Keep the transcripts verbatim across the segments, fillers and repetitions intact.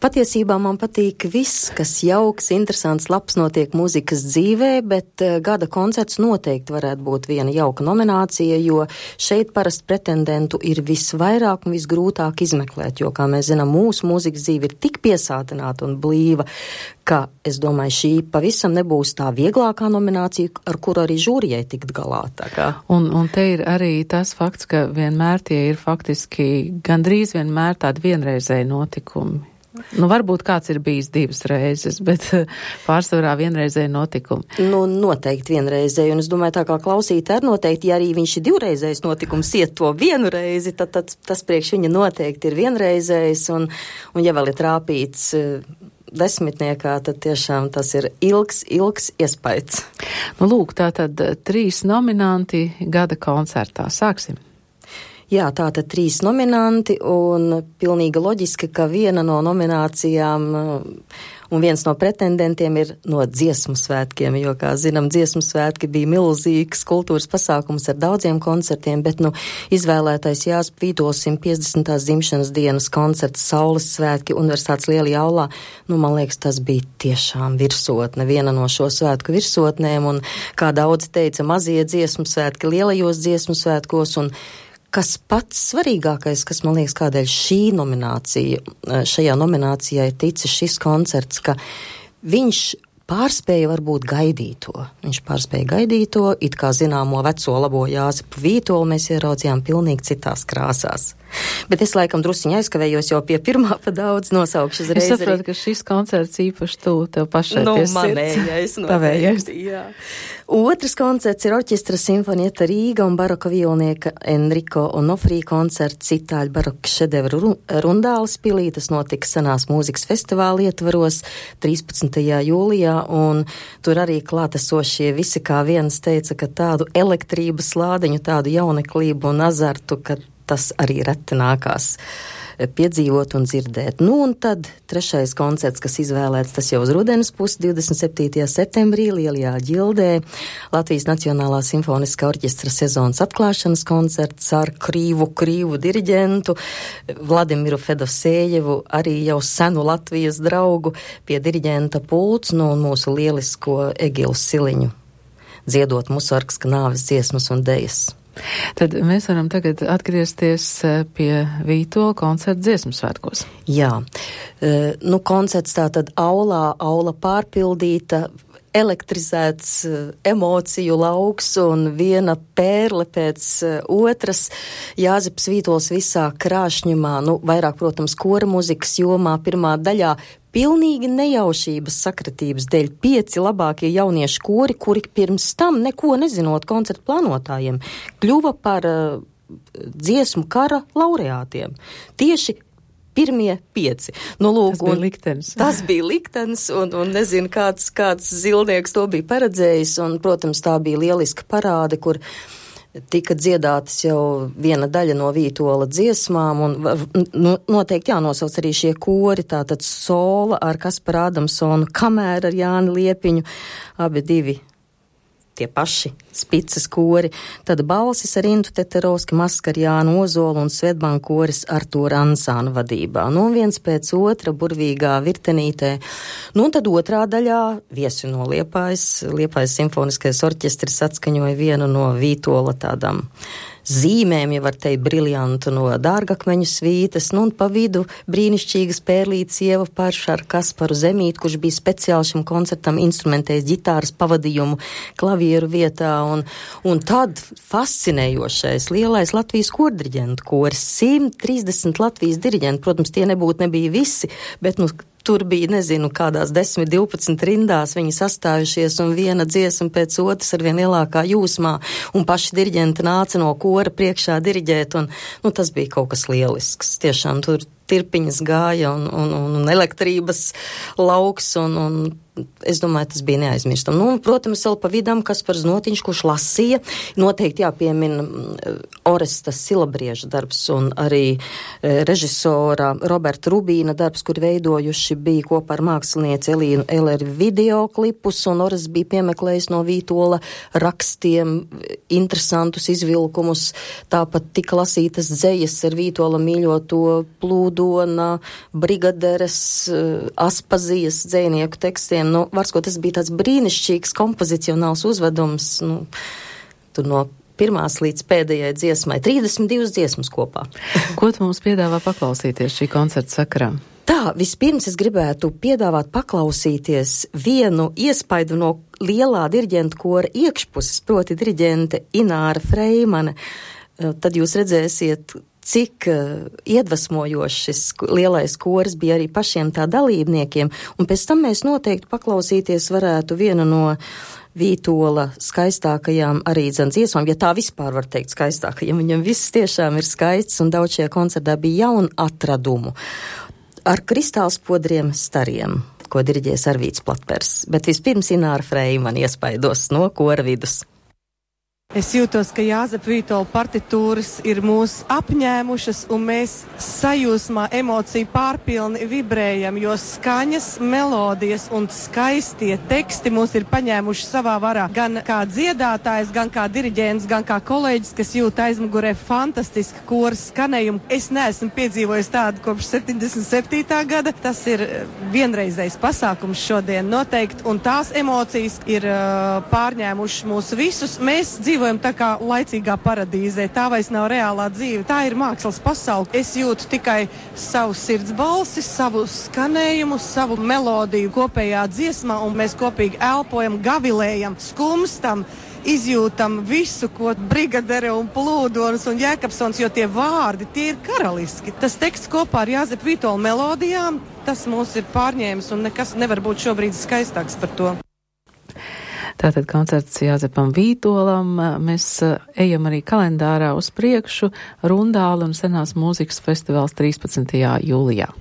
Patiesībā man patīk viss, kas jauks, interesants, labs notiek mūzikas dzīvē, bet uh, gada koncerts noteikti varētu būt viena jauka nominācija, jo šeit parasti pretendentu ir visvairāk un visgrūtāk izmeklēt, jo, kā mēs zinām, mūsu mūzikas dzīve ir tik piesātināta un blīva, ka, es domāju, šī pavisam nebūs tā vieglākā nominācija, ar kuru arī žūrijai tikt galā. Tā kā. Un, un te ir arī tas fakts, ka vienmēr tie ir faktiski gandrīz vienmēr tādi vienreizēji notikumi. Nu, varbūt kāds ir bijis divas reizes, bet pārsvarā vienreizēji notikumi. Nu, noteikti vienreizēji, un es domāju, tā kā klausīt ar noteikti, ja arī viņš ir divreizējs notikums, iet to vienu reizi, tad, tad tas priekš viņa noteikti ir vienreizējs, un, un ja vēl ir trāpīts desmitniekā, tad tiešām tas ir ilgs, ilgs iespaids. Nu, lūk, tātad trīs nominanti gada koncertā. Sāksim. Jā, tātad trīs nominanti, un pilnīgi loģiski, ka viena no nominācijām un viens no pretendentiem ir no dziesmu svētkiem, jo, kā zinām, dziesmu svētki bija milzīgs kultūras pasākums ar daudziem koncertiem, bet, nu, izvēlētais Jāzepa Vītola simt piecdesmitās dzimšanas dienas koncerts Saules svētki Universitātes lielajā aulā, nu, man liekas, tas bija tiešām virsotne, viena no šo svētku virsotnēm, un, kā daudzi teica, mazie dziesmu svētki lielajos dziesmu svētkos, un kas pats svarīgākais, kas man liekas, kādēļ šī nominācija, šajā nominācijā ir ticis šis koncerts, ka viņš pārspēja varbūt gaidīto. Viņš pārspēja gaidīto, it kā zināmo veco labo Jāzepu Vītolu mēs ieraudzījām pilnīgi citās krāsās. Bet es laikam drusiņi aizkavējos jau pie pirmā pa daudz nosaukšu uzreiz. Es saprotu, ka šis koncerts īpaši tu tev pašai nu, pie sirds. Manējais, tavējais. Jā. Otrs koncerts ir orķestra Sinfonieta Rīga un baroka violnieka Enrico Onofrī koncerts itāļu baroka šedevru Rundāles pilī. Tas notika senās mūzikas festivāla ietvaros trīspadsmitajā jūlijā, un tur arī klātesošie visi kā viens teica, ka tādu elektrības lādiņu, tādu jauneklību un azartu, ka tas arī reti nākās piedzīvot un dzirdēt. Nu, un tad trešais koncerts, kas izvēlēts, tas jau uz rudenes pusi, divdesmit septītajā septembrī, Lielajā ģildē, Latvijas Nacionālā simfoniskā orķestra sezonas atklāšanas koncerts ar krīvu, krīvu diriģentu Vladimiru Fedosējevu, arī jau senu Latvijas draugu pie diriģenta pults, nu, un mūsu lielisko Egilu Siliņu, dziedot Musargska nāves dziesmas un dejas. Tad mēs varam tagad atgriezties pie Vītola koncerta dziesmu svētkos. Jā, nu koncerts tātad aulā, aula pārpildīta, elektrizēts emociju lauks un viena pērle pēc otras. Jāzeps Vītols visā krāšņumā, nu vairāk, protams, kora muzikas jomā pirmā daļā, pilnīgi nejaušības sakritības dēļ pieci labākie jauniešu kori, kuri pirms tam neko nezinot koncertu plānotājiem, kļuva par uh, dziesmu kara laureātiem. Tieši pirmie pieci. Nu, lūk, tas bija liktenis. Tas bija liktenis, un, un nezinu, kāds, kāds zilnieks to bija paredzējis, un, protams, tā bija lieliska parāde, kur tika dziedātas jau viena daļa no Vītola dziesmām, un nu, noteikti jānosauc arī šie kori, tātad Sola ar Kasparu Adamsonu, Kamēr ar Jāni Liepiņu, abi divi tie paši spicas kori, tad balsis ar Intu Teterovski, Maska ar Jānu Ozolu un Svetbank koris Artūra Ansāna vadībā. Nu, viens pēc otra burvīgā virtenītē. Nu, un tad otrā daļā viesi no Liepājas, Liepājas simfoniskais orķestris atskaņoja vienu no Vītola tādām zīmēm, ja var teikt, briljantu no Dārgakmeņu svītas, nu un pa vidu brīnišķīgas pērlītes Ieva Parša ar Kasparu Zemīti, kurš bija speciāli šim koncertam instrumentējis ģitāras pavadījumu klavieru vietā, un, un tad fascinējošais lielais Latvijas kordiriģentu koris, simt trīsdesmit Latvijas diriģenti, protams, tie nebūtu nebija visi, bet, nu, tur bija, nezinu, kādās desmit, divpadsmit rindās viņi sastājušies un viena dziesma pēc otras ar vien lielākā jūsmā, un paši diriģenti nāca no kora priekšā diriģēt, un, nu, tas bija kaut kas lielisks. Tiešām tur tirpiņas gāja un, un, un elektrības lauks, un, un es domāju, tas bija neaizmirstam. Nu, protams, vēl pa vidam Kaspars Notiņš, kurš lasīja, noteikti jāpiemina Oresta Silabrieža darbs un arī e, režisora Roberta Rubīna darbs, kur veidojuši bija kopā ar mākslinieci Elīnu Eleri videoklipus, un Orests bija piemeklējis no Vītola rakstiem interesantus izvilkumus, tāpat tika lasītas dzejas ar Vītola mīļoto plūdu Plūdona, Brigaderes, Aspazijas dzejnieku tekstiem. Nu, varsko tas bija tāds brīnišķīgs kompozicionāls uzvedums, nu, tur no pirmās līdz pēdējai dziesmai. trīsdesmit divas dziesmas kopā. Ko tu mums piedāvā paklausīties šī koncerta sakarā? Tā, vispirms es gribētu piedāvāt paklausīties vienu iespaidu no lielā diriģenta kora iekšpuses, proti diriģente Ināra Freimane. Tad jūs redzēsiet, cik iedvesmojošs šis lielais koris bija arī pašiem tā dalībniekiem, un pēc tam mēs noteikti paklausīties varētu vienu no Vītola skaistākajām arī dzan dziesmām, ja tā vispār var teikt skaistākajām, viņam viss tiešām ir skaists, un daudz šajā koncertā bija jaunu atradumu. Ar kristālspodriem stariem, ko diriģēs Arvīts Platpers, bet vispirms Ināra Freimane iespaidos no kora vidus. Es jūtos, ka Jāzepa Vītola partitūras ir mūs apņēmušas, un mēs sajūsmā, emociju pārpilni vibrējam, jo skaņas, melodijas un skaistie teksti mūs ir paņēmuši savā varā. Gan kā dziedātājs, gan kā diriģents, gan kā kolēģis, kas jūt aizmugurē fantastiski kora skanējumu. Es neesmu piedzīvojis tādu kopš septiņdesmit septītā gada. Tas ir vienreizējs pasākums šodien noteikti, un tās emocijas ir uh, pārņēmušas mūs visus. Mēs dzīvojam tā kā laicīgā paradīzē, tā vairs nav reālā dzīve, tā ir mākslas pasaule. Es jūtu tikai savu sirds balsi, savu skanējumu, savu melodiju kopējā dziesmā, un mēs kopīgi elpojam, gavilējam, skumstam, izjūtam visu, ko Brigadere un Plūdonas un Jēkabsons, jo tie vārdi, tie ir karaliski. Tas teksts kopā ar Jāzepa Vītola melodijām, tas mūs ir pārņēmis, un nekas nevar būt šobrīd skaistāks par to. Tātad koncerts Jāzepam Vītolam, mēs ejam arī kalendārā uz priekšu, Rundāla un senās mūzikas festivāls trīspadsmitajā jūlijā.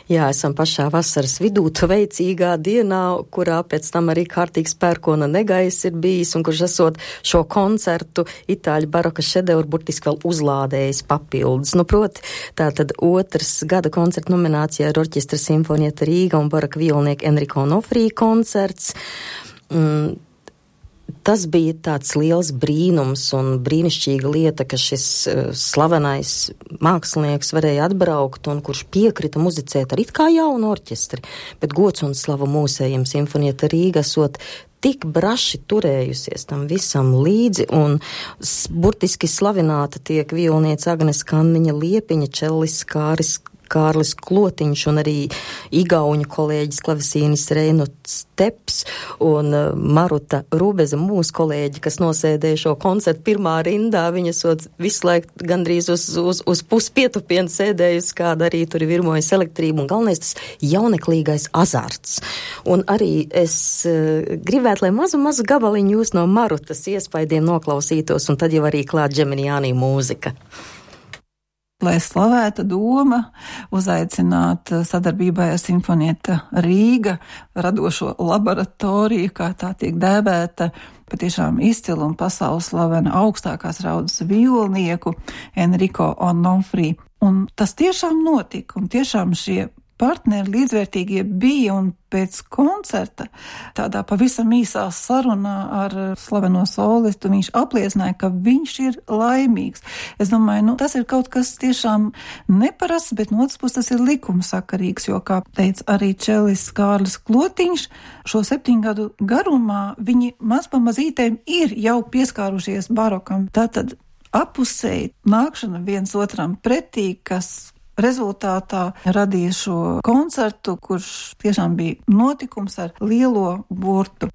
Jā, esam pašā vasaras vidū, veicīgā dienā, kurā pēc tam arī kārtīgs pērkona negais ir bijis, un kurš esot šo koncertu itāļu baroka šedevru burtiski vēl uzlādējis papildus. Nu, proti, tātad otrs gada koncerta nominācijā ir orķestra Simfonieta Rīga un baroka violnieka Enrico Nofrī koncerts. Mm, Tas bija tāds liels brīnums un brīnišķīga lieta, ka šis uh, slavenais mākslinieks varēja atbraukt un kurš piekrita muzicēt ar it kā jaunu orķestri, bet gods un slava mūsējiem Simfonieta Rīga esot tik braši turējusies tam visam līdzi, un s, burtiski slavināta tiek violniece Agnes Kanniņa Liepiņa, čellis Kāris Kārlis Klotiņš un arī igauņu kolēģis klavesīnis Reinu Steps un Maruta Rubeza, mūsu kolēģi, kas nosēdēja šo koncertu pirmā rindā. Viņa sot visu laiku gandrīz uz, uz, uz puspietupienu sēdējusi, kāda arī tur ir virmojas elektrība, un galvenais tas jauneklīgais azarts. Un arī es uh, gribētu, lai mazu, mazu gabaliņu jūs no Marutas iespaidiem noklausītos, un tad jau arī klāt Džeminiānī mūzika. Lai slavētu doma, uzaicināt sadarbībai ar Simfonieta Rīga radošo laboratoriju, kā tā tiek dēvēta, patiešām izcilu un pasaules slavena augstākās raudas violnieku Enrico Onofrī. Un tas tiešām notika, un tiešām šie partneri līdzvērtīgie bija, un pēc koncerta tādā pavisam īsā sarunā ar slaveno solistu viņš apliecināja, ka viņš ir laimīgs. Es domāju, nu, tas ir kaut kas tiešām neparasts, bet no otras puses tas ir likumsakarīgs, jo, kā teica arī čelis Kārlis Klotiņš, šo septiņu gadu garumā viņi mazpamazītēm ir jau pieskārušies barokam. Tātad apusēji nākšana viens otram pretī, kas rezultātā radīja šo koncertu, kurš tiešām bija notikums ar lielo burtu.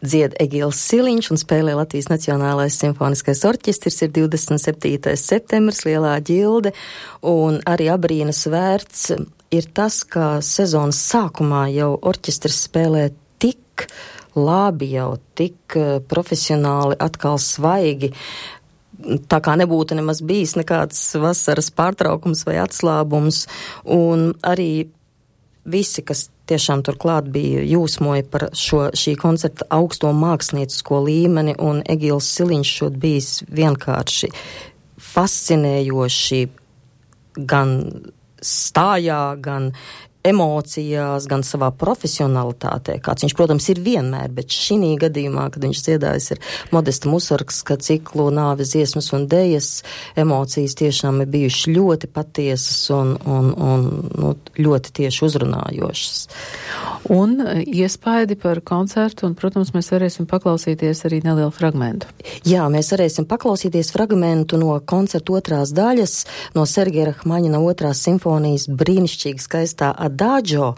Dzied Egils Siliņš un spēlē Latvijas Nacionālais simfoniskais orķestris, ir divdesmit septītais septembris, Lielā ģilde, un arī abrīnas vērts ir tas, ka sezonas sākumā jau orķestris spēlē tik labi, jau tik profesionāli, atkal svaigi, tā kā nebūtu nemaz bijis nekāds vasaras pārtraukums vai atslābums, un arī visi, kas tiešām turklāt bija jūsmoja par šo, šī koncerta augsto māksliniecisko līmeni, un Egils Siliņš šod bijis vienkārši fascinējoši gan stājā, gan emocijās, gan savā profesionalitātē, kāds viņš, protams, ir vienmēr, bet šī gadījumā, kad viņš dziedājis ir Modesta Musargska ciklu Nāves dziesmas un dejas, emocijas tiešām ir bijušas ļoti patiesas un, un, un nu, ļoti tieši uzrunājošas. Un iespaidi par koncertu, un, protams, mēs varēsim paklausīties arī nelielu fragmentu. Jā, mēs varēsim paklausīties fragmentu no koncerta otrās daļas, no Sergeja Rahmaņina otrās simfonijas brīnišķīgi skaistā Adagio,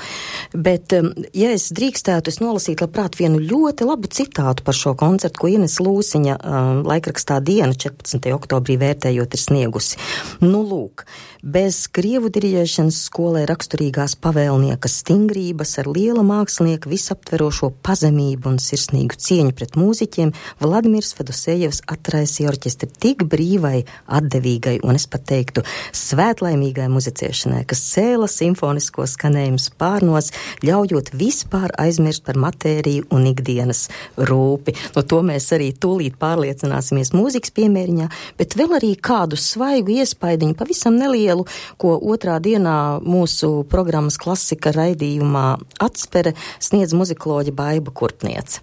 bet, ja es drīkstētu, es nolasītu labprāt vienu ļoti labu citātu par šo koncertu, ko Ines Lūsiņa um, laikrakstā Diena četrpadsmitajā oktobrī vērtējot ir sniegusi. Nu, lūk, bez krievu diriģēšanas skolē raksturīgās pavēlnieka stingrības ar liela mākslinieka visaptverošo pazemību un sirsnīgu cieņu pret mūziķiem, Vladimirs Fedosejevs atraisīja orķestri tik brīvai, atdevīgai un es pat teiktu svētlaimīgai muzicēšanai, kas cēla simfonisko skanējumu spārnos, ļaujot vispār aizmirst par matēriju un ikdienas rūpi. No to mēs arī tūlīt pārliecināsimies mūzikas piemēriņā, bet vēl arī kādu svaigu iespaidiņu, pavisam nelielu, ko otrā dienā mūsu programmas klasika raidījumā Atspere sniedz muzikoloģe Baiba Kurpniece.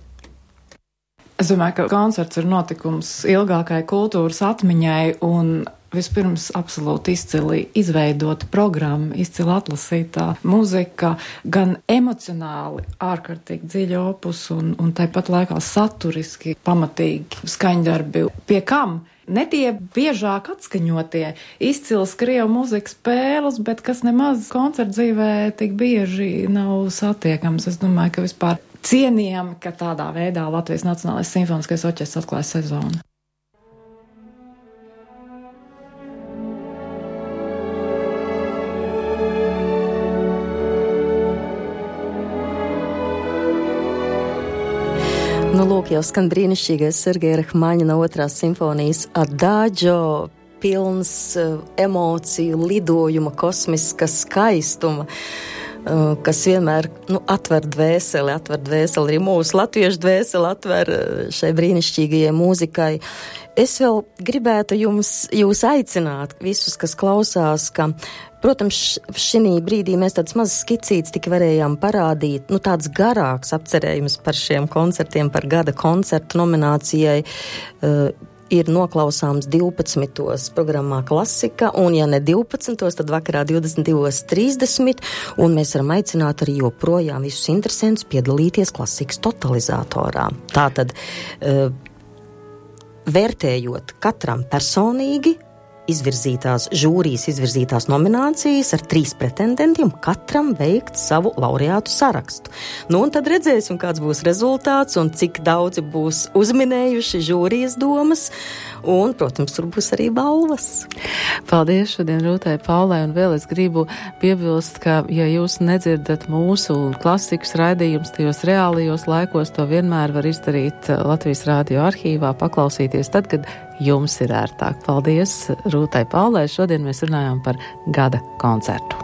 Es domāju, ka koncerts ir notikums ilgākai kultūras atmiņai un vispirms absolūti izcili izveidota programma, izcili atlasītā muzika, gan emocionāli ārkārtīgi dziļi opus un, un tāpat laikā saturiski pamatīgi skaņdarbi, pie kam ne tie biežāk atskaņotie izcils krievu muzikas spēles, bet kas nemaz koncerta dzīvē tik bieži nav satiekams. Es domāju, ka vispār cienījami, ka tādā veidā Latvijas Nacionālais simfoniskais orķestris atklāja sezonu. Nu, lūk, jau skan brīnišķīgais Sergeja Rahmaņina otrās simfonijas Adagio, pilns uh, emociju, lidojuma, kosmiska skaistuma, uh, kas vienmēr nu, atver dvēseli, atver dvēseli, arī mūsu latviešu dvēseli atver šai brīnišķīgajai mūzikai. Es vēl gribētu jums, jūs aicināt, visus, kas klausās, ka protams, šī brīdī mēs tāds mazs skicīts tik varējām parādīt, nu tāds garāks apcerējums par šiem koncertiem, par gada koncertu nominācijai uh, ir noklausāms divpadsmitos programmā Klasika, un ja ne divpadsmitos, tad vakarā divdesmit divos trīsdesmit, un mēs varam aicināt arī joprojām visus interesantus piedalīties Klasikas totalizatorā. Tātad, uh, vērtējot katram personīgi, izvirzītās žūrijas, izvirzītās nominācijas ar trīs pretendentiem, katram veikt savu laureātu sarakstu. Nu, un tad redzēsim, kāds būs rezultāts un cik daudzi būs uzminējuši žūrijas domas, un, protams, tur būs arī balvas. Paldies šodien Rūtai Paulai, un vēl es gribu piebilst, ka, ja jūs nedzirdat mūsu klasikas raidījums tajos reālajos laikos, to vienmēr var izdarīt Latvijas Rādio arhīvā, paklausīties tad, kad jums ir ērtāk. Paldies Rūtai Paulai. Šodien mēs runājām par gada koncertu.